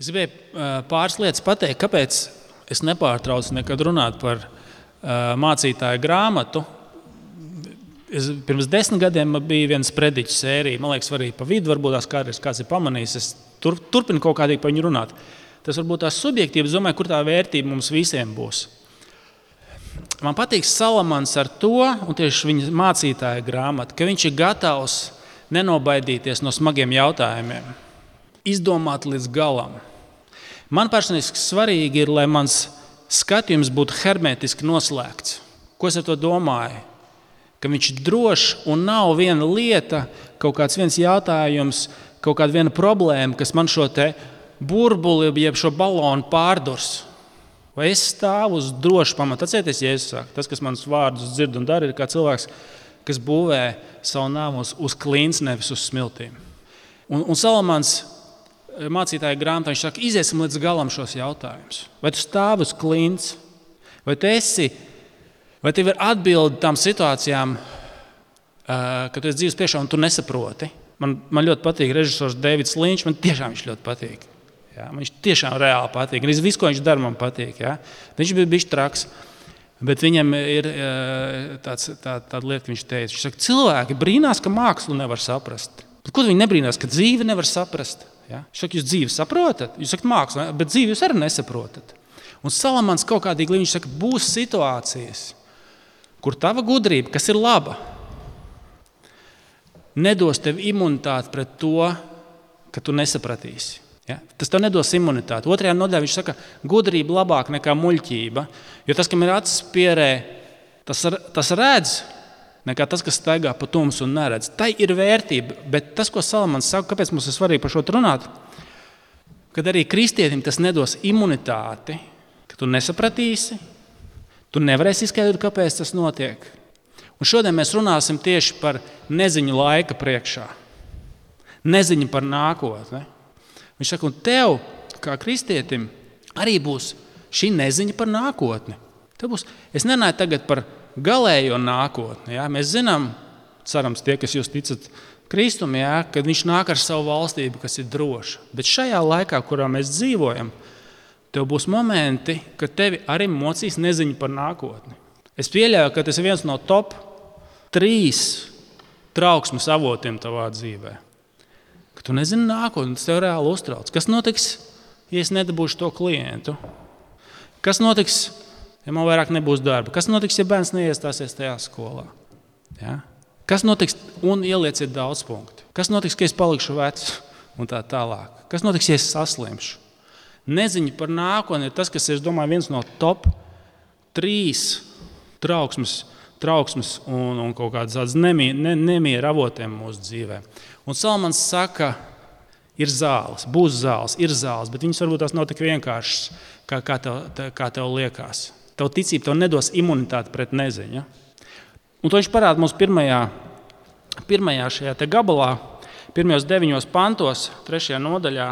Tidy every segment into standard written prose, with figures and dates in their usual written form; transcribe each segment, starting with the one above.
Es gribēju pāris lietas pateikt, kāpēc es nepārtraucu nekad runāt par mācītāju grāmatu. Pirms 10 gadiem bija viens prediķu sērija, man liekas, arī pa vidu, varbūt kāds ir pamanījis, es turpinu kaut kādīgi par viņu runāt. Tas varbūt tās subjektīvas, domāju, kur tā vērtība mums visiem būs. Man patīk Salamans ar to, un tieši viņa mācītāja grāmata, ka viņš ir gatavs nenobaidīties no smagiem jautājumiem, izdomāt līdz galam. Man personīgi svarīgi ir, lai mans skatījums būtu hermētiski noslēgts. Ko es ar to domāju? Ka viņš ir drošs un nav viena lieta, kaut kāds viens jautājums, kaut kāda viena problēma, kas man šo te burbuli, jeb šo balonu pārdurs. Vai es stāvu uz drošu pamatu? Atcerieties, Jēzus saka, tas, kas manas vārdus dzird un dara, ir kā cilvēks, kas būvē savu namu uz klints, nevis uz smiltīm. Un Salamans mācītāja grāmatā, viņš saka, iziesim līdz galam šos jautājumus. Vai tu stāvi uz klints? Vai tev ir atbildi tām situācijām, kad tu esi dzīves priekšā un tu nesaproti? Man ļoti patīk režisors Davids Linčs, man tiešām viņš ļoti patīk. Ja, man viņš tiešām reāli patīk. Viss, ko viņš dara, man patīk. Ja. Viņš bija bišķi traks, bet viņam ir tāda lieta, ka viņš teica. Viņš saka, cilvēki brīnās, ka mākslu nevar saprast. Bet ko viņi nebrīnās, ka dzīvi nevar saprast? Ja? Viņš saka, jūs dzīvi saprotat? Jūs sakat mākslu, bet dzīvi jūs arī nesaprotat. Un Salamans kaut kādīgi, viņš saka, būs situācijas, kur tava gudrība, kas ir laba, nedos tev imunitāti pret to, ka tu nesapratīsi. Ja? Tas tev nedos imunitāti. 2. nodaļā viņš saka, gudrība labāk nekā muļķība, jo tas, kam ir acis pierē, tas redz, nekā tas, kas staigā pa tumsu un neredz. Tai ir vērtība, bet tas, ko Salamans saka, kāpēc mums ir svarīgi par šo runāt, kad arī kristietim tas nedos imunitāti, ka tu nesapratīsi, tu nevarēsi izskaidrot, kāpēc tas notiek. Un šodien mēs runāsim tieši par neziņu laika priekšā. Neziņu par nākotni. Viņš saka, un tev, kā kristietim, arī būs šī neziņa par nākotni. Es nenāju tagad par galējo nākotni. Ja? Mēs zinām, cerams, tie, kas jūs ticat Kristum, ja? Kad viņš nāk ar savu valstību, kas ir droša. Bet šajā laikā, kurā mēs dzīvojam, tev būs momenti, kad tevi arī mocīs neziņa par nākotni. Es pieļauju, ka tas ir viens no top 3 trauksmes avotiem tavā dzīvē. Ka tu nezini nākotni, tas tev reāli uztrauc. Kas notiks, ja es nedabūšu to klientu? Kas notiks, ja man vairāk nebūs darba? Kas notiks, ja bērns neiestāsies tajā skolā? Ja? Kas notiks, un ielieciet daudz punktu? Kas notiks, ka es palikšu vecs un tā tālāk? Kas notiks, ja es saslimšu? Neziņa par nākotni ir tas, kas ir, es domāju, viens no top 3 trauksmes un kaut kādas nemiera avotiem mūsu dzīvē. Un Salamans saka, ir zāles, būs zāles, ir zāles, bet viņas varbūt tās nav tik vienkāršas, kā tev liekas. Tev ticība tev nedos imunitāti pret neziņu. Un to viņš parāda mums pirmajā šajā te gabalā, pirmajos 9 pantos, 3. nodaļā,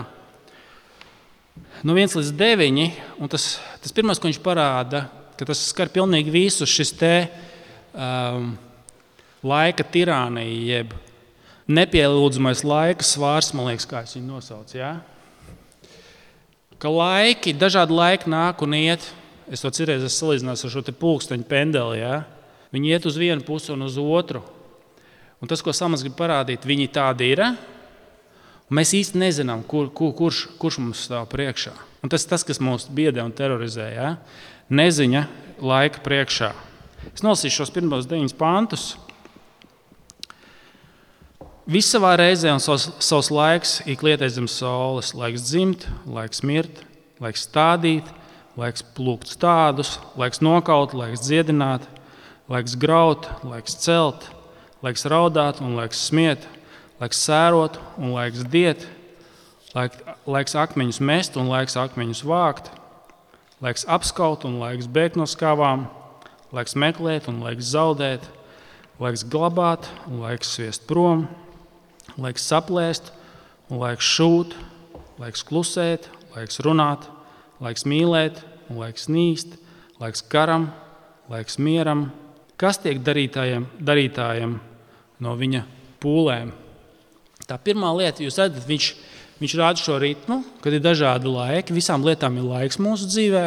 no 1 līdz 9, un tas pirmais, ko viņš parāda, ka tas skar pilnīgi visus šis te laika tirānija, jeb nepielūdzamais laika svārs, man liekas, kā es viņu nosaucu. Ja? Ka dažādi laiki nāk un iet, es to cirreiz salīdzināšu ar šo te pulksteņu pendeli, ja? Viņi iet uz vienu pusi un uz otru. Un tas, ko Salamans grib parādīt, viņi tādi ir, un mēs īsti nezinām, kurš mums stāv priekšā. Un tas ir tas, kas mūs biedē un terorizē, ja? Neziņa laika priekšā. Es nolasīšu šos pirmos 9 pantus. Viss savā reizē un savs laiks ik lietais zem saules. Laiks dzimt, laiks mirt, laiks stādīt, laiks plūkt stādus, laiks nokaut, laiks dziedināt, laiks graut, laiks celt, laiks raudāt un laiks smiet, laiks sērot un laiks diet, laiks akmeņus mest un laiks akmeņus vākt, laiks apskaut un laiks bēgt no skavām, laiks meklēt un laiks zaudēt, laiks glabāt un laiks sviest prom, laiks saplēst un laiks šūt, laiks klusēt, laiks runāt, laiks mīlēt un laiks nīst, laiks karam, laiks mieram. Kas tiek darītājiem no viņa pūlēm? Tā pirmā lieta, jūs redzat, viņš Viņš rāda šo ritmu, kad ir dažādi laiki. Visām lietām ir laiks mūsu dzīvē.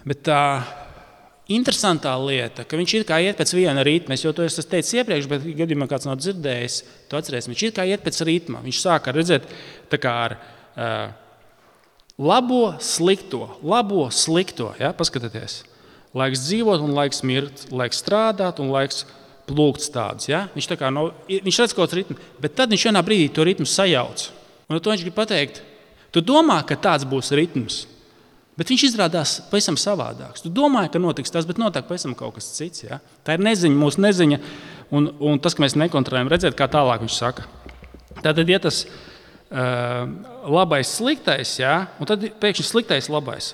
Bet tā interesantā lieta, ka viņš ir kā iet pēc viena ritma. Es jau to esmu teicis iepriekš, bet gadījumā kāds nav dzirdējis, to atcerēsim. Viņš ir kā iet pēc ritma. Viņš sāk redzēt tā kā ar labo, slikto. Ja? Paskatieties. Laiks dzīvot un laiks mirt, laiks strādāt un laiks plūkt tādus. Ja? Viņš redz kaut kāds ritms, bet tad viņš vienā brīdī to ritmu sajauc. Un to viņš grib pateikt. Tu domā, ka tāds būs ritms, bet viņš izrādās pavisam savādāks. Tu domāji, ka notiks tas, bet notiek pavisam kaut kas cits. Ja? Tā ir neziņa, mūsu neziņa, un tas, ka mēs nekontrolējam, redzēt, kā tālāk viņš saka. Tātad, ja tas labais, sliktais, ja? Un tad pēkšņi sliktais, labais.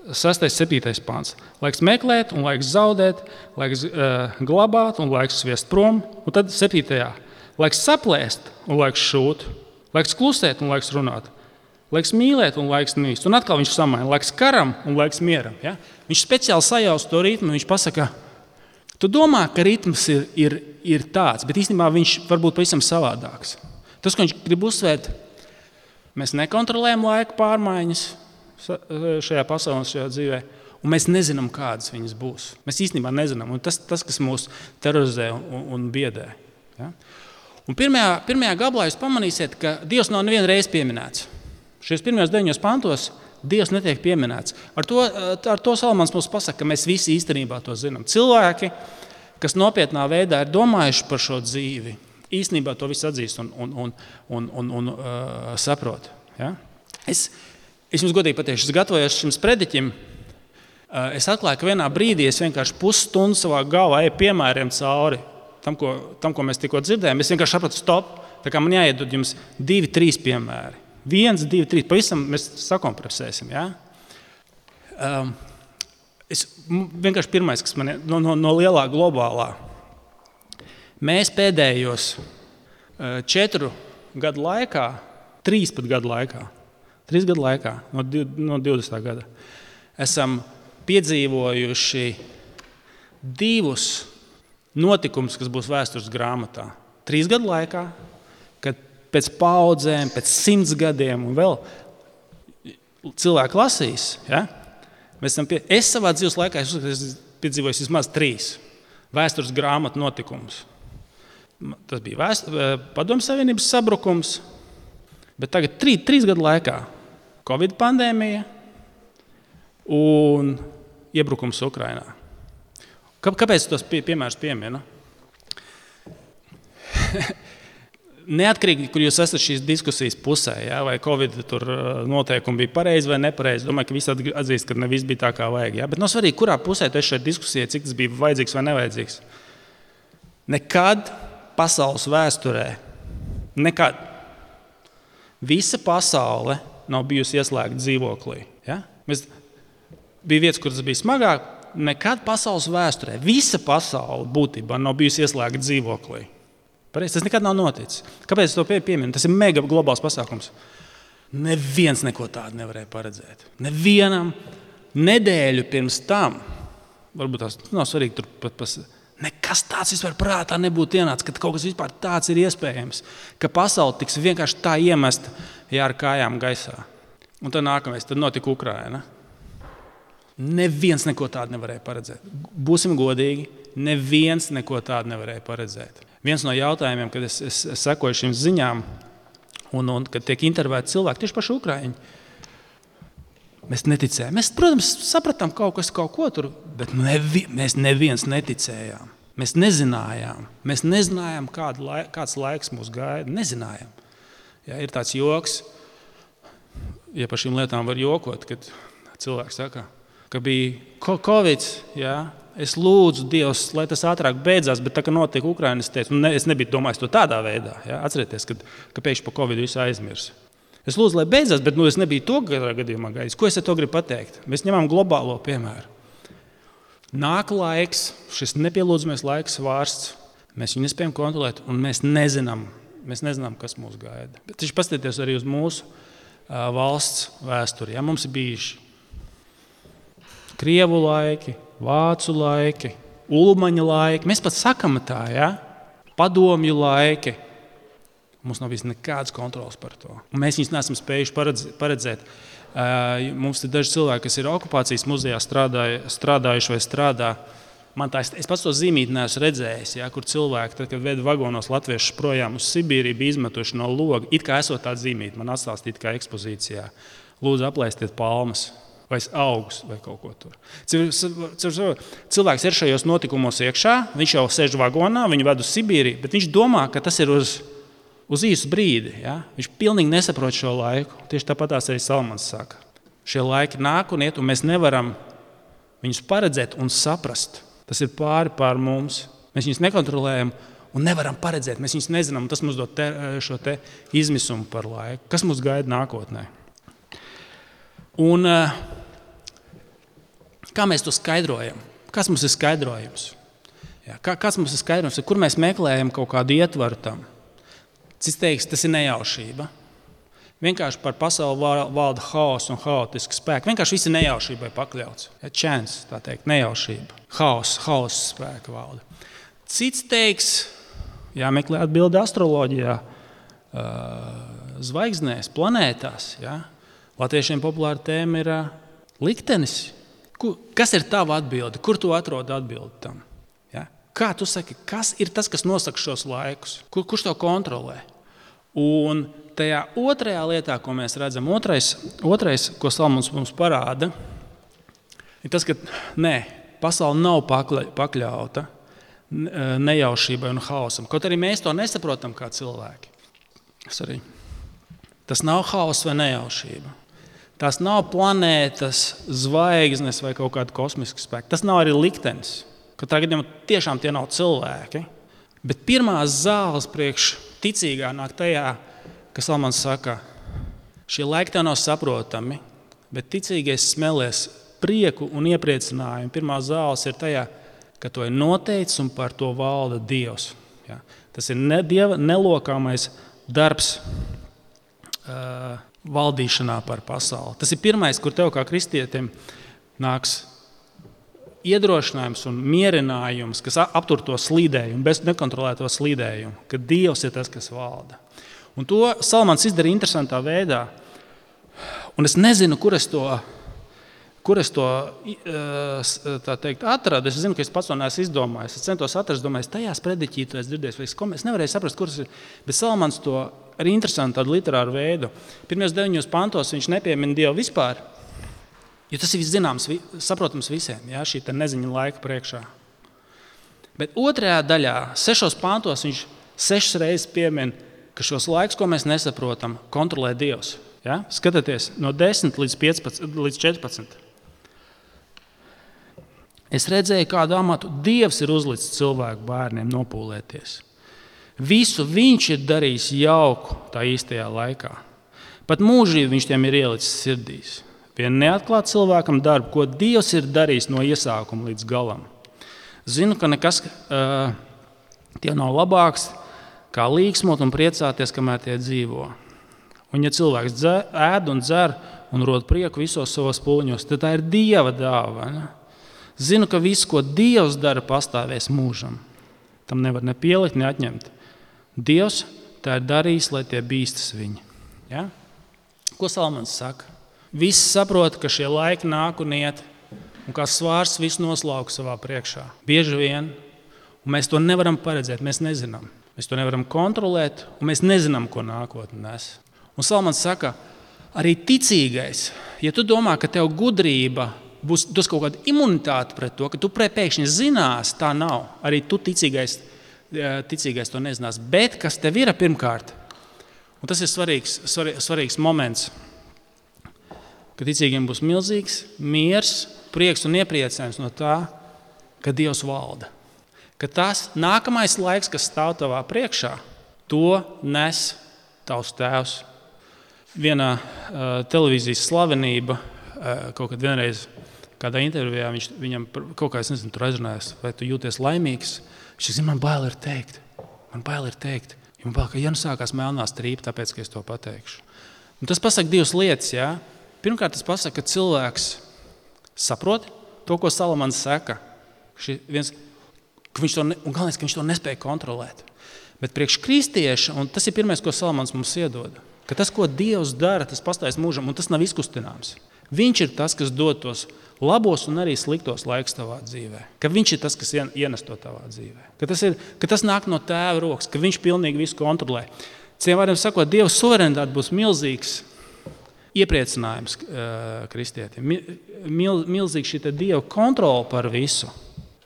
6. 7. pāns. Laiks meklēt un laiks zaudēt, laiks glabāt un laiks sviest prom. Un tad 7. Laiks saplēst un laiks šūt. Laiks klusēt un laiks runāt. Laiks mīlēt un laiks nīst. Un atkal viņš samaina. Laiks karam un laiks mieram. Ja? Viņš speciāli sajauc to ritmu. Viņš pasaka, tu domā, ka ritms ir tāds, bet īstenībā viņš var būt pavisam savādāks. Tas, ko viņš grib uzsvērt, mēs nekontrolējam laika pārmaiņas šajā pasaulē, šajā dzīvē, un mēs nezinām, kādas viņas būs. Mēs īstenībā nezinām. Un tas, kas mūs terorizē un biedē. Ja? Un pirmajā gabalā jūs pamanīsiet, ka Dievs nav nevienu reizi pieminēts. Šajos pirmajos 9 pantos Dievs netiek pieminēts. Ar to Salamans mums pasaka, ka mēs visi īstenībā to zinām. Cilvēki, kas nopietnā veidā ir domājuši par šo dzīvi, īstenībā to visu atzīst un saprot. Ja? Es jums godīgi pateikšu, es gatavojos šim sprediķim. Es atklāju, ka vienā brīdī es vienkārši pusstundu savā galvā eju piemēriem cauri tam, ko mēs tikko dzirdējām. Es vienkārši sapratu, stop, tā kā man jāiedod jums 2, 3 piemēri. 1, 2, 3, pavisam mēs sakompresēsim. Ja? Vienkārši pirmais, kas man no lielā globālā. Mēs pēdējos 4 gadu laikā, 3 pat gadu laikā, 3 gadu laikā, no 20. gada, esam piedzīvojuši 2 notikumus, kas būs vēstures grāmatā. 3 gadu laikā, kad pēc paudzēm, pēc 100 gadiem un vēl cilvēki lasīs. Ja? Es savā dzīves laikā esmu piedzīvojis vismaz 3 vēstures grāmatu notikumus. Tas bija Padomju Savienības sabrukums, bet tagad 3 gadu laikā Covid pandēmija un iebrukums Ukrainā. Kāpēc tos piemērus pieminu? Neatkarīgi, kur jūs esat šīs diskusijas pusē, ja, vai Covid tur noteikumi bija pareizi vai nepareizi, domāju, ka visi atzīst, ka ne viss bija tā, kā vajag. Ja? Bet nav svarīgi, kurā pusē tu esi šajā diskusijā, cik tas bija vajadzīgs vai nevajadzīgs. Nekad pasaules vēsturē, nekad visa pasaule nav bijusi ieslēgta dzīvoklī. Ja? Bija vietas, kur tas bija smagāk. Nekad pasaules vēsturē, visa pasaule būtībā nav bijusi ieslēgta dzīvoklī. Pareizi, tas nekad nav noticis. Kāpēc es to pieminu? Tas ir mega globāls pasākums. Neviens neko tādu nevarēja paredzēt. Nevienam nedēļu pirms tam, varbūt tās nav svarīgi tur pat nekas tāds vispār prātā nebūtu ienācis, ka kaut kas vispār tāds ir iespējams, ka pasaule tiks vienkārši tā iemesta ar kājām gaisā. Un tad nākamais, tad notika Ukraina. Neviens neko tādu nevarēja paredzēt. Būsim godīgi, neviens neko tādu nevarēja paredzēt. Viens no jautājumiem, kad es sekoju šīm ziņām, un kad tiek intervēti cilvēki, tieši paši ukraiņi, mēs neticējām. Mēs, protams, sapratām kaut ko tur, bet mēs neviens neticējām. Mēs nezinājām. Mēs nezinājām, kāds laiks mūs gaida. Nezinājām. Ja, ir tāds joks, ja par šīm lietām var jokot, kad cilvēks saka, ka bija Covid, ja, es lūdzu Dievs, lai tas ātrāk beidzās, bet tā, ka notiek Ukraina, es nebiju domājis to tādā veidā. Ja? Atcerieties, ka pēkšņi par Covid visu aizmirs. Es lūdzu, lai beidzās, bet es nebiju to gadījumā gaidījis. Ko es ar to gribu pateikt? Mēs ņemam globālo piemēru. Nāk laiks, šis nepielūdzamies laiks vārsts, mēs viņu nespējam kontrolēt, un mēs nezinām, kas mūs gaida. Bet taču paskatieties arī uz mūsu valsts vēsturi. Ja? Mums ir bijuši Krievu laiki, Vācu laiki, Ulmaņa laiki. Mēs pat sakam tā, ja? Padomju laiki. Mums nav bijis nekādas kontrolas par to. Un mēs viņus neesam spējuši paredzēt. Mums ir daži cilvēki, kas ir okupācijas muzejā strādājuši vai strādā. Es pats to zīmīti neesmu redzējis, kur cilvēki, tad, kad veda vagonos latviešus projām uz Sibīriju, bija izmetuši no loga. It kā esot tāda zīmīti, man atstāstīt kā ekspozīcijā. Lūdzu, aplaistiet palmas vai augus vai kaut ko tur. Cilvēks ir šajos notikumos iekšā, viņš jau sēž vagonā, viņu ved uz Sibīriju, bet viņš domā, ka tas ir uz īsu brīdi. Ja? Viņš pilnīgi nesaprot šo laiku. Tieši tāpatās arī Salmans saka. Šie laiki nāk un iet, un mēs nevaram viņus paredzēt un saprast. Tas ir pār mums. Mēs viņus nekontrolējam un nevaram paredzēt. Mēs viņus nezinām, un tas mums dod šo te izmisumu par laiku. Kas mums gaida nākotnē? Un kā mēs to skaidrojam? Kas mums ir skaidrojums? Kāds mums ir skaidrojums? Kur mēs meklējam kaut kādu ietvaru tam? Cits teiks, tas ir nejaušība. Vienkārši par pasauli valda haoss un haotiski spēki. Vienkārši viss ir nejaušībai pakļauts. Chance, tā teikt, nejaušība. Haoss spēka valda. Cits teiks, jāmeklē atbildi astroloģijā, zvaigznēs, planētās. Ja? Latviešiem populāra tēma ir liktenis. Kas ir tava atbilde? Kur tu atrodi atbildi tam? Ja? Kā tu saki, kas ir tas, kas nosaka šos laikus? Kurš to kontrolē? Un tajā otrajā lietā, ko mēs redzam, otrais, ko Salmons mums parāda, ir tas, ka pasaule nav pakļauta nejaušībai un haosam. Kaut arī mēs to nesaprotam kā cilvēki. Tas nav haoss vai nejaušība. Tas nav planētas, zvaigznes vai kaut kāda kosmiska spēka. Tas nav arī liktenis. Katrā gadījumā tiešām tie nav cilvēki. Bet pirmās zāles priekš ticīgā nāk tajā, ka Salmans saka, šie laiki tev nav saprotami, bet ticīgais smelēs prieku un iepriecinājumu. Pirmā zāles ir tajā, ka to ir noteicis un par to valda Dievs. Ja? Tas ir Dieva nelokāmais darbs valdīšanā par pasauli. Tas ir pirmais, kur tev kā kristietim nāks iedrošinājums un mierinājums, kas aptur to slīdējumu, bez nekontrolēto slīdējumu, ka Dievs ir tas, kas valda. Un to Salmans izdara interesantā veidā. Un es nezinu, kur es to tā teikt, atradu. Es zinu, ka es pats to neesmu izdomājis. Es centos atrast, domāju, tajās prediķītu es dzirdēju, es nevarēju saprast, kuras ir. Bet Salmans to arī interesanti tādu literāru veidu. Pirmajos 9 pantos viņš nepiemina Dievu vispār, jo tas ir zināms, saprotams visiem, ja, šī neziņa laika priekšā. Bet otrajā daļā, 6 pantos, viņš 6 reizes piemina, ka šos laikus, ko mēs nesaprotam, kontrolē Dievs. Ja? Skatieties, no 10 līdz 14. Es redzēju, kādu amatu Dievs ir uzlicis cilvēku bērniem nopūlēties. Visu viņš ir darījis jauku tā īstajā laikā. Pat mūžīgi viņš tiem ir ielicis sirdīs. Vien neatklāt cilvēkam darbu, ko Dievs ir darījis no iesākuma līdz galam. Zinu, ka nekas tie nav labāks, kā līksmot un priecāties, kamēr tie dzīvo. Un ja cilvēks ēd un dzer un rod prieku visos savos pūliņos, tad tā ir Dieva dāvana. Zinu, ka viss, ko Dievs dara, pastāvēs mūžam. Tam nevar ne pielikt, ne atņemt. Dievs tā ir darījis, lai tie bīstas viņi. Ja? Ko Salmans saka? Visi saprot, ka šie laiki nāk un iet, un kā svārs visu noslauka savā priekšā. Bieži vien, un mēs to nevaram paredzēt, mēs nezinām. Mēs to nevaram kontrolēt, un mēs nezinām, ko nākotne nes. Un Salmans saka, arī ticīgais, ja tu domā, ka tev gudrība būs kaut kāda imunitāte pret to, ka tu pēkšņi zinās, tā nav. Arī tu ticīgais to nezinās. Bet kas tev ir pirmkārt, un tas ir svarīgs moments, ka ticīgiem būs milzīgs miers, prieks un iepriecinājums no tā, ka Dievs valda. Ka tas nākamais laiks, kas stāv tavā priekšā, to nes tavs tēvs. Vienā televīzijas slavenība kaut kad vienreiz kādā intervijā viņam kaut kā, es nezinu, tur aizrunājās, vai tu jūties laimīgs. Viņš saka, man bail ir teikt. Man bail, ka ja nu sākās melnā strīpa, tāpēc, ka es to pateikšu. Un tas pasaka 2 lietas, jā. Pirmkārt, tas pasaka, ka cilvēks saprot to, ko Salmans saka. Un galvenais, ka viņš to nespēja kontrolēt. Bet priekš kristieša, un tas ir pirmais, ko Salamans mums iedod, ka tas, ko Dievs dara, tas pastājas mūžam, un tas nav izkustināms. Viņš ir tas, kas dod tos labos un arī sliktos laikus tavā dzīvē. Ka viņš ir tas, kas ienes to tavā dzīvē. Ka tas nāk no Tēva rokas, ka viņš pilnīgi visu kontrolē. Citiem vārdiem sakot, Dieva suverenitāte būs milzīgs iepriecinājums kristietim. Milzīgs šī Dieva kontrole par visu.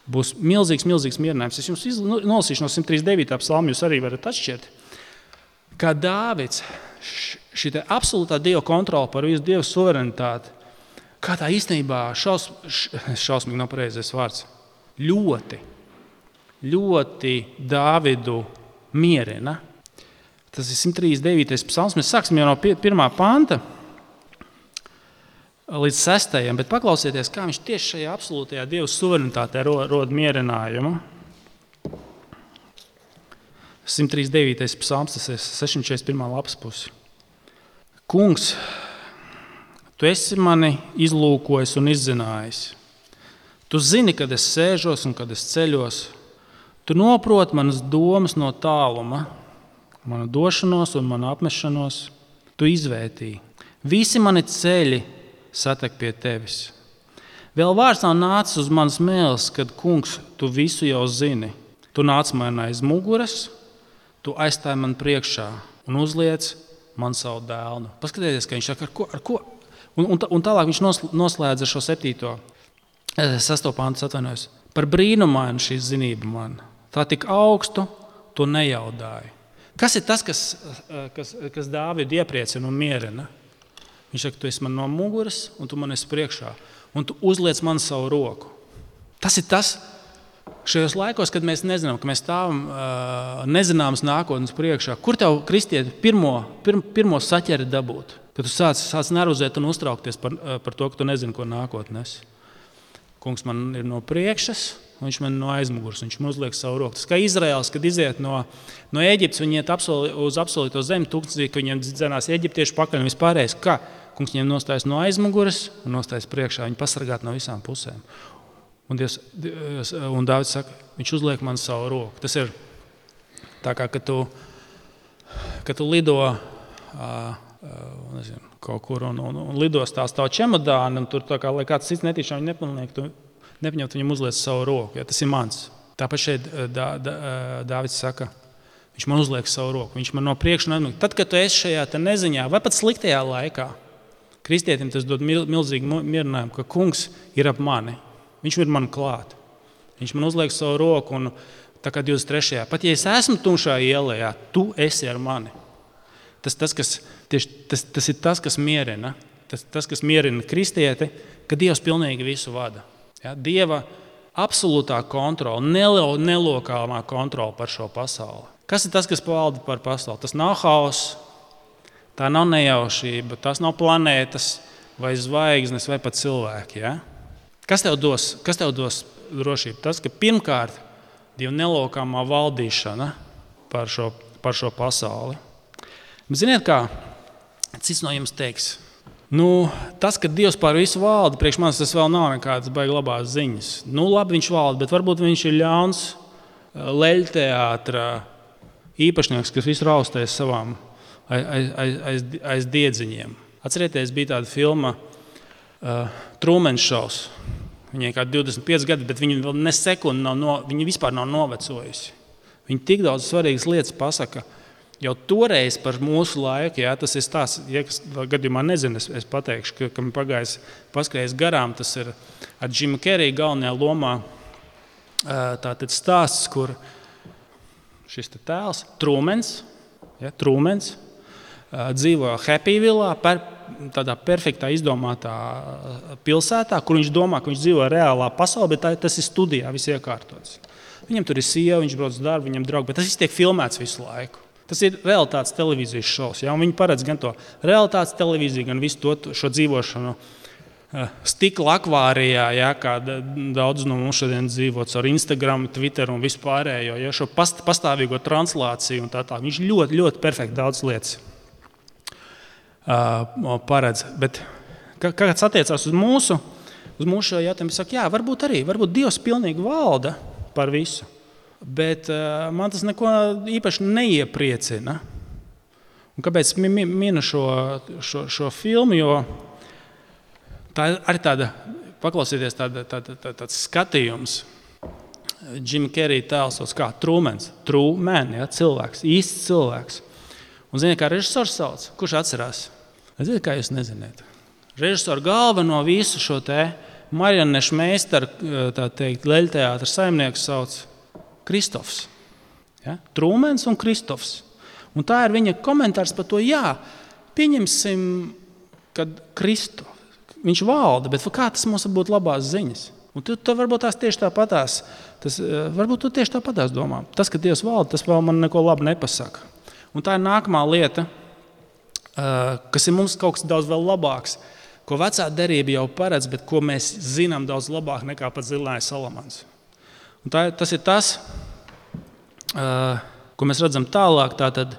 Būs milzīgs mierinājums. Es jums nolasīšu no 139. psalma, jūs arī varat atšķirt. Kā Dāvids, šī absolūtā Dieva kontrole par visu, Dieva suverenitāti, kā tā īstenībā šausmīgi nav pareizais vārds, ļoti Dāvidu mierina. Tas ir 139. psalms. Mēs sāksim jau no 1. panta līdz 6. Bet paklausieties, kā viņš tieši šajā absolūtajā Dieva suverenitātē rod mierinājumu. 139. psalms, tas ir 641. lapas pusi. Kungs, tu esi mani izlūkojis un izzinājis. Tu zini, kad es sēžos un kad es ceļos. Tu noproti manas domas no tāluma, manu došanos un manu apmešanos. Tu izvērtīji. Visi mani ceļi satek pie tevis. Vēl vārds nav nācis uz manas mēles, kad, kungs, tu visu jau zini. Tu nāc man aiz muguras, tu aizstāji man priekšā un uzliec man savu dēlnu. Paskatieties, ka viņš saka, ar ko? Un tālāk viņš noslēdz ar šo 6. pantu atvainojos. Par brīnumainu šī zinība man. Tā tik augstu, to nejaudāju. Kas ir tas, kas Dāvidu iepriecina un mierina? Viņš saka, tu esi man no muguras un tu man esi priekšā. Un tu uzliec man savu roku. Tas ir tas, šajos laikos, kad mēs nezinām, ka mēs stāvam nezināmas nākotnes priekšā. Kur tev, kristieti, pirmo saķeri dabūt? Kad tu sāc nervozēt un uztraukties par to, ka tu nezini, ko nākotnes. Kungs man ir no priekšas, un viņš man no aizmugurs, viņš man uzliek savu roku. Tas kā Izraels, kad iziet no Ēģiptes, viņi iet uz apsolīto zemi, tūkstnesī, ka viņiem dzenās eģiptieši pakaļ un vispārējais. Kā? Kungs viņiem nostājas no aizmuguras un nostājas priekšā, viņi pasargāt no visām pusēm. Un Dāvids saka, viņš uzliek man savu roku. Tas ir tā kā, kad tu lido kaut kur un lidos tās tavu čemodānu, un tur tā kā, lai kāds cits netīšām viņu nepilnīgi, tu nepaņemt viņam uzliec savu roku. Ja, tas ir mans. Tāpēc šeit Dāvids saka, viņš man uzliek savu roku. Viņš man no priekšu neatmūk. Tad, kad tu esi šajā neziņā, vai pat sliktajā laikā, kristietim tas dod milzīgu mierinājumu, ka kungs ir ap mani. Viņš ir man klāt. Viņš man uzliek savu roku un tā kā 23. Pat ja es esmu tumšā ielā, tu esi ar mani. Tas ir tas, kas mierina. Tas, kas mierina kristieti, ka Dievs pilnīgi visu vada. Ja? Dieva absolūtā kontrola, nelokāmā kontrola par šo pasauli. Kas ir tas, kas valda par pasauli? Tas nav hauss, tā nav nejaušība, tas nav planētas vai zvaigznes vai pat cilvēki. Ja? Kas tev dos drošību? Tas, ka pirmkārt Dieva nelokāmā valdīšana par šo pasauli. Bet ziniet kā, cits no jums teiks, tas, ka Dievs pār visu valda, priekš manis tas vēl nav nekādas baigi labās ziņas. Labi viņš valda, bet varbūt viņš ir ļauns leļteātra īpašnieks, kas visu raustēs savām aiz diedziņiem. Atcerieties, bija tāda filma Truman Shows. Viņai kā 25 gadi, bet viņi vēl ne sekundi viņi vispār nav novecojusi. Viņi tik daudz svarīgas lietas pasaka jau toreiz par mūsu laiku. Jā, tas ir stāsts, ja kas gadījumā nezinu, es pateikšu, ka man paskrējis garām, tas ir ar Jimu Carrey galvenajā lomā. Tātad stāsts, kur šis tēls, Trumans, dzīvo Happyvillā, tādā perfektā izdomātā pilsētā, kur viņš domā, ka viņš dzīvo reālā pasaulē, bet tas ir studijā, viss iekārtots. Viņam tur ir sieva, viņš brauc uz darbu, viņam draugi, bet tas viss tiek filmēts visu laiku. Tas ir realitātes televīzijas šovs. Ja? Viņi paredz gan to realitātes televīziju, gan visu šo dzīvošanu stikla akvārijā, ja? Kā daudz no mums šodien dzīvo caur Instagram, Twitter un vispārējo. Ja? Šo pastāvīgo translāciju un tā. Viņš ļoti, ļoti perfekti daudz lietas paredz. Bet, kāds attiecās uz mūsu šo jautājumu, saka, jā, varbūt Dievs pilnīgi valda par visu. Bet man tas neko īpaši neiepriecina. Un kāpēc minu šo filmu? Jo tā arī tāda, paklausieties, tāds skatījums. Jim Carrey tēls kā Trumans. Truman, ja, cilvēks, īsts cilvēks. Un ziniet, kā režisors sauc? Kurš atcerās? Ziniet, kā jūs neziniet? Režisoru galveno visu šo te marionešu meistaru, tā teikt, leļteātra saimnieku sauc Kristofs. Ja? Trumans un Kristofs. Un tā ir viņa komentārs par to, jā, pieņemsim, kad viņš valda, bet kā tas mums būtu labās ziņas? Un tu varbūt tās tieši tāpatās, varbūt tu tieši tāpatās domā. Tas, ka Dievs valda, tas vēl man neko labu nepasaka. Un tā ir nākamā lieta, kas ir mums kaut kas daudz vēl labāks, ko vecā derība jau paredz, bet ko mēs zinām daudz labāk nekā pat Zilnājs Salamans. Un tas ir tas, ko mēs redzam tālāk, tātad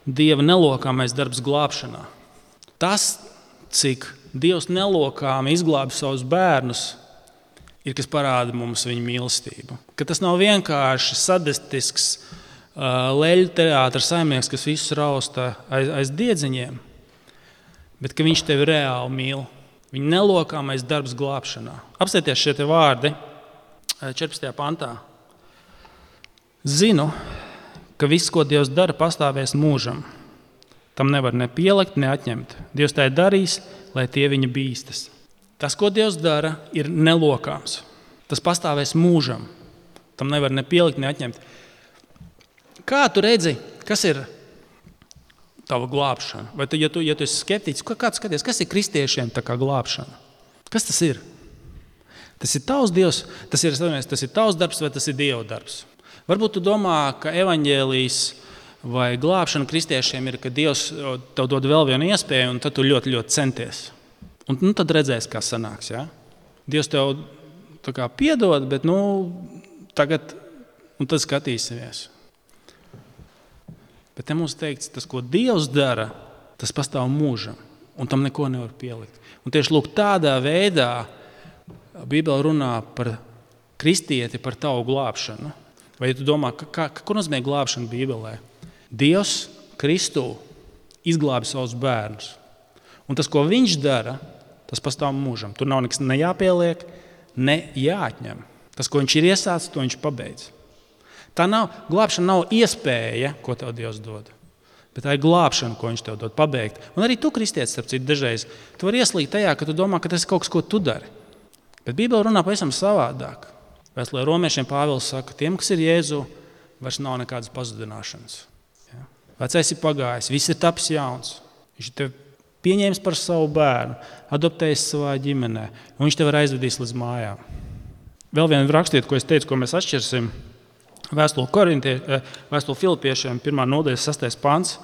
Dieva nelokāmais darbs glābšanā. Tas, cik Dievs nelokāmi izglābi savus bērnus, ir, kas parāda mums viņa mīlestību. Ka tas nav vienkārši sadistisks leļu teātra saimnieks, kas visus rausta aiz diedziņiem, bet ka viņš tevi reāli mīl. Viņa nelokāmais darbs glābšanā. Apstieties šie te vārdi 14. pantā. Zinu, ka viss, ko Dievs dara, pastāvēs mūžam. Tam nevar ne pielikt, ne atņemt. Dievs tā ir darījis, lai tie viņa bīstas. Tas, ko Dievs dara, ir nelokāms. Tas pastāvēs mūžam. Tam nevar ne pielikt, ne atņemt. Kā tu redzi, kas ir tava glābšana? Vai ja tu esi skeptiķis, kāds skaties, kas ir kristiešiem tā kā glābšana? Kas tas ir? Tas ir tavs Dievs, tas ir tavs darbs vai tas ir Dieva darbs? Varbūt tu domā, ka evaņģēlijs vai glābšana kristiešiem ir, ka Dievs tev dod vēl vienu iespēju un tad tu ļoti, ļoti centies. Un tad redzēs, kā sanāks. Ja? Dievs tev tā kā piedod, bet tagad un tad skatīsimies. Bet te mums teikts, tas, ko Dievs dara, tas pastāv mūžam, un tam neko nevar pielikt. Un tieši lūk, tādā veidā Bībele runā par kristieti, par tavu glābšanu. Vai tu domā, ko nozīmē glābšana Bībelē? Dievs Kristū izglābi savus bērnus. Un tas, ko viņš dara, tas pastāv mūžam. Tur nav nekas ne jāpieliek, ne jāatņem. Tas, ko viņš ir iesācis, to viņš pabeidz. Glābšana nav iespēja, ko tev Dievs dod. Bet tā ir glābšana, ko viņš tev dod pabeigt. Un arī tu, kristietis, starp citu, dažreiz, tu vari ieslīgt tajā, ka tu domā, ka tas ir kaut kas, ko tu dari. Bet Bībele runā pavisam savādāk. Vēstulē Romiešiem Pāvils saka, tiem, kas ir Jēzu, vairs nav nekādas pazudināšanas. Ja? Vecais ir pagājis, viss ir tapis jauns. Viņš ir tevi pieņēmis par savu bērnu, adoptējis savā ģimenē, un viņš tevi aizvedīs līdz mājām. Vēl viena rakstiet, ko es teicu, ko mēs atšķirsim. Vēstule Filipiešiem, 1. nodaļa, 6. pants.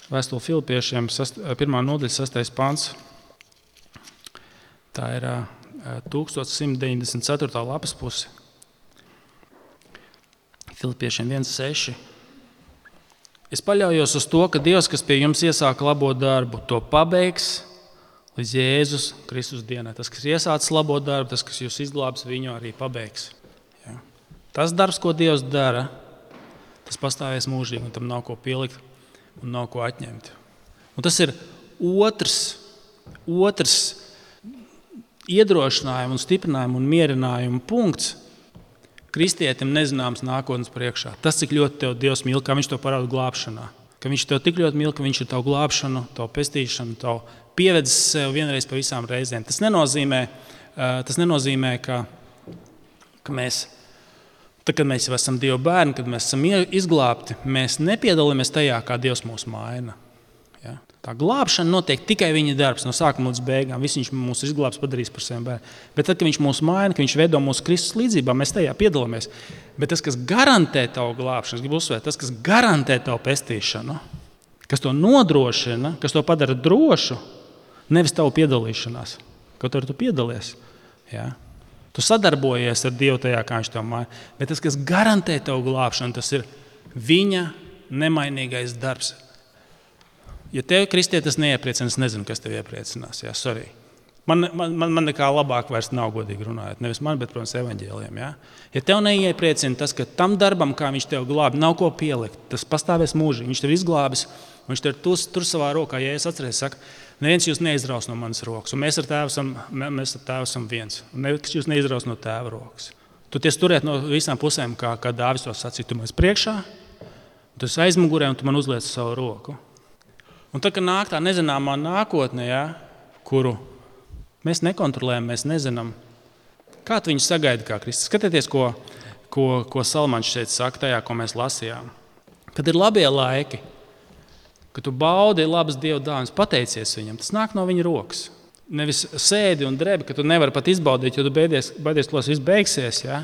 Vēstule Filipiešiem, 1. nodaļa, 6. pants. Tā ir 1194. lapas puse. Filipiešiem 1.6. Es paļaujos uz to, ka Dievs, kas pie jums iesāka labo darbu, to pabeigs līdz Jēzus Kristus dienai. Tas, kas iesācis labo darbu, tas, kas jūs izglābs, viņu arī pabeigs. Ja. Tas darbs, ko Dievs dara, tas pastāvēs mūžīgi, un tam nav ko pielikt un nav ko atņemt. Un tas ir otrs iedrošinājumu un stiprinājumu un mierinājumu punkts kristietim nezināms nākotnes priekšā. Tas, cik ļoti tev Dievs mīl, kā viņš to parāda glābšanā. Ka viņš tev tik ļoti mīl, ka viņš ir tavu glābšanu, tavu pestīšanu, tavu pievedis sev vienreiz pa visām reizēm. Tas nenozīmē, ka mēs, tad, kad mēs jau esam Dieva bērni, kad mēs esam izglābti, mēs nepiedalāmies tajā, kā Dievs mūs maina. Ja? Tā glābšana notiek tikai viņa darbs, no sākuma līdz beigām. Viss viņš mūs izglābs, padarīs par saviem bērniem. Bet tad, kad viņš mūs maina, ka viņš veido mūsu Kristus līdzībā, mēs tajā piedalāmies. Bet tas, kas garantē tavu glābšanu, es gribu uzsvērt, tas, kas garantē tavu pestīšanu, kas to nodrošina, kas to padara drošu, nevis tavu piedalīšanās. Kaut arī tu piedalies. Ja? Tu sadarbojies ar Dievu tajā, kā viņš tev maina. Bet tas, kas garantē tavu glābšanu, tas ir viņa nemainīgais darbs. Ja tev kristietis neiepriecina, es nezinu, kas tev iepriecinās. Jā, sorry. Man nekā labāk vairs nav, godīgi runājot. Nevis man, bet, protams, evaņģēliem. Ja? Ja tev neiepriecina tas, ka tam darbam, kā viņš tev glābi, nav ko pielikt, tas pastāvēs mūžīgi. Viņš tev izglābis, viņš tev tur savā rokā. Ja es atceros, saka, neviens jūs neizraus no manas rokas, un mēs ar tēvu esam viens. Un neviens jūs neizraus no tēva rokas. Tu ties turēt no visām pusēm, kā Dāvis to sacīja. Tu man esi priekšā, tu esi aizmugurē, un tu man uzliec savu roku. Un tad, kad nāk tā nezināmā nākotne, ja, kuru mēs nekontrolējam, mēs nezinām, kā tu viņu sagaidi kā Kristus. Skatieties, ko Salmans šeit saka tajā, ko mēs lasījām. Kad ir labie laiki, kad tu baudi labas Dieva dāvanas, pateicies viņam, tas nāk no viņa rokas. Nevis sēdi un drebi, ka tu nevari pat izbaudīt, jo tu baidies, ka tas viss beigsies. Ja?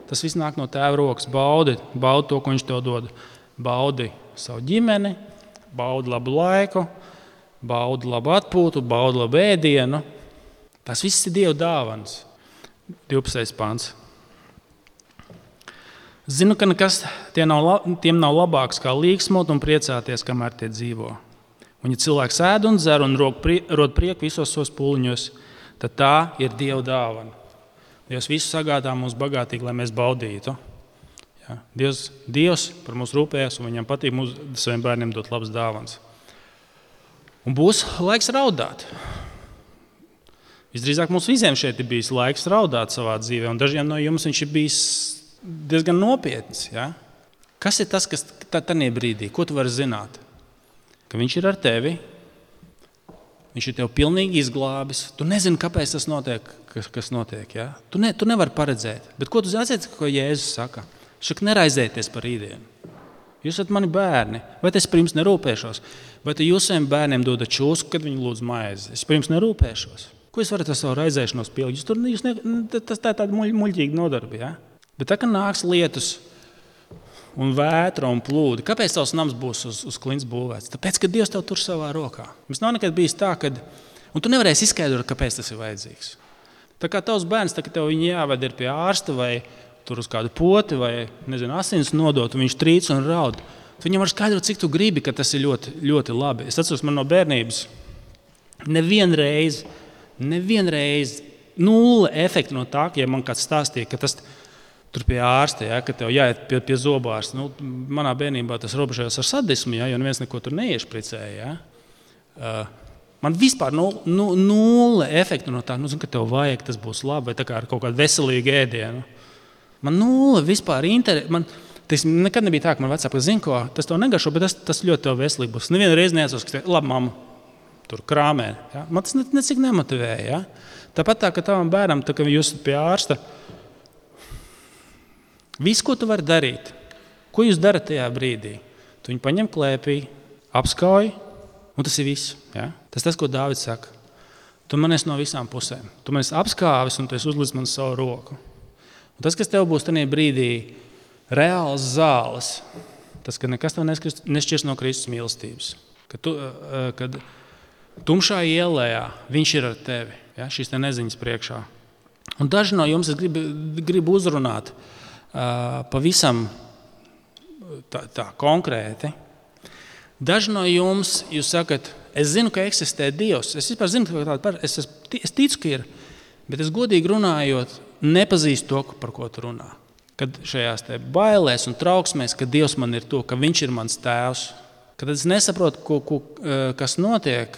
Tas viss nāk no tēva rokas. Baudi to, ko viņš tev dod. Baudi savu ģimeni, baudi labu laiku, baudi labu atpūtu, baudi labu ēdienu. Tas viss ir Dieva dāvanas. 12. pants. Zinu, ka nekas tiem nav labāks kā līgsmot un priecāties, kamēr tie dzīvo. Un ja cilvēks ēd un dzer un rod prieku visos savos pūliņos, tad tā ir Dieva dāvana. Dievs visu sagādā mums bagātīgi, lai mēs baudītu. Ja? Dievs par mums rūpējas un viņam patīk saviem bērniem dot labas dāvanas. Un būs laiks raudāt. Visdrīzāk mums visiem šeit ir bijis laiks raudāt savā dzīvē, un dažiem no jums viņš ir bijis diezgan nopietns. Ja? Kas ir tas, kas tajā brīdī, ko tu vari zināt? Ka viņš ir ar tevi, viņš ir tev pilnīgi izglābis. Tu nezini, kāpēc tas notiek, kas notiek. Ja? Tu nevari paredzēt. Bet ko tu atceries, ko Jēzus saka? Šak neraizēties par rītdienu. Jūs esat mani bērni. Vai es par jums nerūpēšos? Vai jūs saviem bērniem dodat čūsku, kad viņi lūdz maizi? Es par jums nerūpēšos. Ko jūs varat ar savu raizēšanos pielikt? Tas tā ir tāda muļķīga nodarbe. Ja? Bet tā, ka nāks lietus un vētra un plūdi. Kāpēc tavs nams būs uz klints būvēts? Tāpēc, ka Dievs tev tur savā rokā. Mums nav nekad bijis tā, un tu nevarēsi izskaidrot, kāpēc tas ir vajadzīgs. Tā kā tavs bērns, tā, ka tev viņi jāved ir pie ārsta vai tur uz kādu poti vai, asins nodot, un viņš trīc un raud. Tu viņam var skaidrot, cik tu gribi, ka tas ir ļoti, ļoti labi. Es atceros, man no bērnības nevienreiz nulle efekta no tā, ja man kāds stāstīja, ka tas tur pie ārsta, ja, ka tev jāiet pie zobārsta. Manā bērnībā tas robežojās ar sadismu, ja, jo neviens neko tur neiešpricēja. Ja. Man vispār nulle efektu no tā, ka tev vajag, tas būs labi, vai tā kā ar kaut kādu veselīgu ēdienu. Man nulle vispār nekad nebija tā, ka man vecāki zina, ko tas tev negaršo, bet tas ļoti tev veselīgi būs. Nevienu reizi neatceros, ka labi, mamma, tur krāmē. Ja. Man tas necik nemotivēja. Ja. Tāpat tā, ka tavam bērnam, tā, ka jūs esat pie ārsta, viss, ko tu vari darīt, ko jūs darat tajā brīdī, tu viņu paņem klēpī, apskauj, un tas ir viss. Ja? Tas, ko Dāvids saka. Tu man esi no visām pusēm. Tu man esi apskāvis, un tu esi uzlicis man savu roku. Un tas, kas tev būs tajā brīdī, reāls zāles, tas, ka nekas tev nešķirs no Kristus mīlestības. Kad tumšā ielējā viņš ir ar tevi, ja? Šīs te neziņas priekšā. Un daži no jums es gribu uzrunāt pavisam tā konkrēti. Daži no jums, jūs sakat, es zinu, ka eksistē Dievs. Es vispār zinu, ka tāda es ticu, ka ir, bet es godīgi runājot, nepazīstu to, par ko tu runā. Kad šajās te bailēs un trauksmēs, ka Dievs man ir to, ka viņš ir mans tēvs, kad es nesaprotu, kas notiek,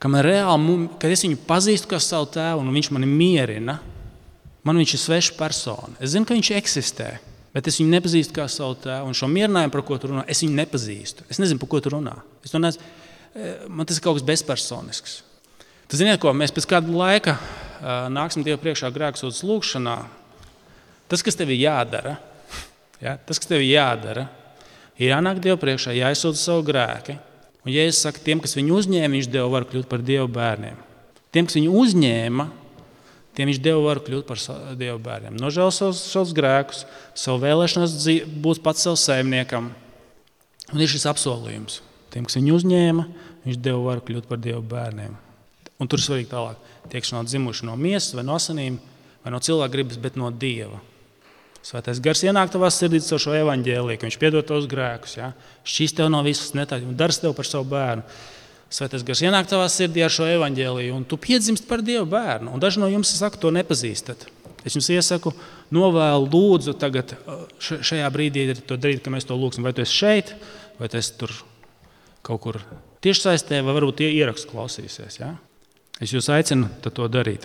kad es viņu pazīstu kā savu tēvu un viņš mani mierina, man viņš ir sveša persona. Es zinu, ka viņš eksistē, bet es viņu nepazīstu kā savu tēvu. Un šo mierinājumu, par ko tu runā, es viņu nepazīstu. Es nezinu, par ko tu runā. Man tas ir kaut kas bezpersonisks. Tu ziniet, ko mēs pēc kāda laika nāksim Dievu priekšā grēksūdzes lūgšanā. Tas, kas tev ir jādara, ir jānāk Dievu priekšā, jāizsūdz savu grēki. Un Jēzus saka, tiem, kas viņu uzņēma, viņš Dievu var kļūt par Dievu bērniem. Tiem, kas viņu uzņēma, tiem viņš Dievu var kļūt par Dievu bērniem. Nožēl savus grēkus, savu vēlēšanos būt pats savu saimniekam. Un ir šis apsolījums. Tiem, kas viņu uzņēma, viņš Dievu var kļūt par Dievu bērniem. Un tur svarīgi tālāk. Tie, kas nav dzimuši no miesas vai no asinīm, vai no cilvēka gribas, bet no Dieva. Svētais gars ienāk tavā sirdī caur šo evaņģēliju, ka viņš piedod tavus grēkus. Ja? Šķīst tev no visas netāļas un dars tev par savu bērnu. Svētais Gars ienāk tavā sirdī ar šo evaņģēliju, un tu piedzimst par Dieva bērnu. Un daži no jums, saku, to nepazīstat. Es jums iesaku, novēlu, lūdzu, tagad šajā brīdī to darīt, ka mēs to lūgsim. Vai tu esi šeit, vai tu esi tur kaut kur tiešsaistē, vai varbūt tie ierakstu klausīsies. Ja? Es jūs aicinu to darīt.